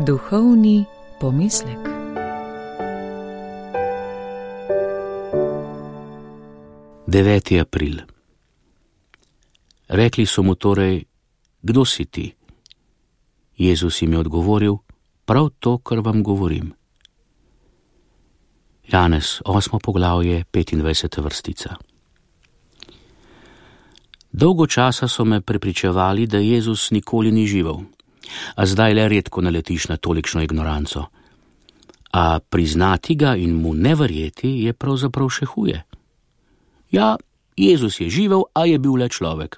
Duhovni pomislek. Deveti april. Rekli so mu torej: Kdo si ti? Jezus jim je odgovoril: Prav to, kar vam govorim. Janez, 8. poglavje, 25. vrstica. Dolgo časa so me prepričevali, da Jezus nikoli ni živel, a zdaj le redko naletiš na tolikšno ignoranco. A priznati ga in mu ne verjeti je pravzaprav še huje. Ja, Jezus je živel, a je bil le človek.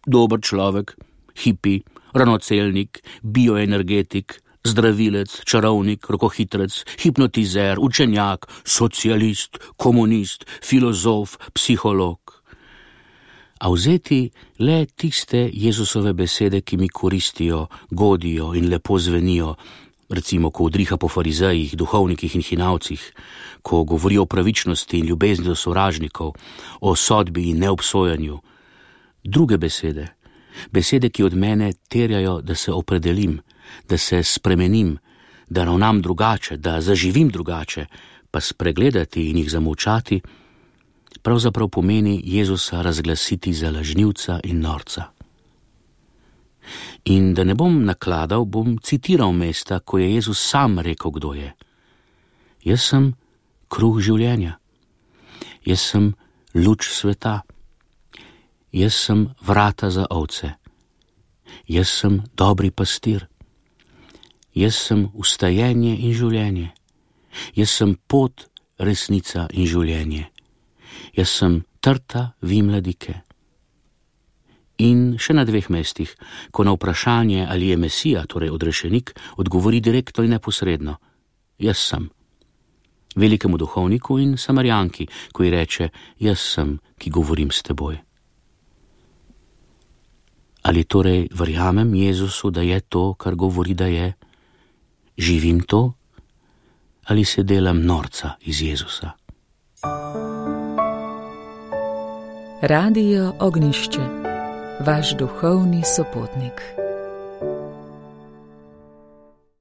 Dober človek, hipi, ranocelnik, bioenergetik, zdravilec, čarovnik, rokohitrec, hipnotizer, učenjak, socialist, komunist, filozof, psiholog. A vzeti le tiste Jezusove besede, ki mi koristijo, godijo in lepo zvenijo, recimo, ko udriha po farizejih, duhovnikih in hinavcih, ko govori o pravičnosti in ljubezni do sovražnikov, o sodbi in neobsojanju. Druge besede, besede, ki od mene terjajo, da se opredelim, da se spremenim, da ravnam drugače, da zaživim drugače, pa spregledati in jih zamolčati, pravzaprav pomeni Jezusa razglasiti za lažnivca in norca. In da ne bom nakladal, bom citiral mesta, ko je Jezus sam rekel, kdo je. Jaz sem kruh življenja. Jaz sem luč sveta. Jaz sem vrata za ovce. Jaz sem dobri pastir. Jaz sem vstajenje in življenje. Jaz sem pot, resnica in življenje. Jaz sem trta vimladike. In še na 2 mestih, ko na vprašanje, ali je Mesija, torej odrešenik, odgovori direktno in neposredno: Jaz sem. Velikemu duhovniku in Samarjanki, ko ji reče: Jaz sem, ki govorim s teboj. Ali torej verjamem Jezusu, da je to, kar govori, da je? Živim to? Ali se delam norca iz Jezusa? Radio Ognjišče, vaš duhovni sopotnik.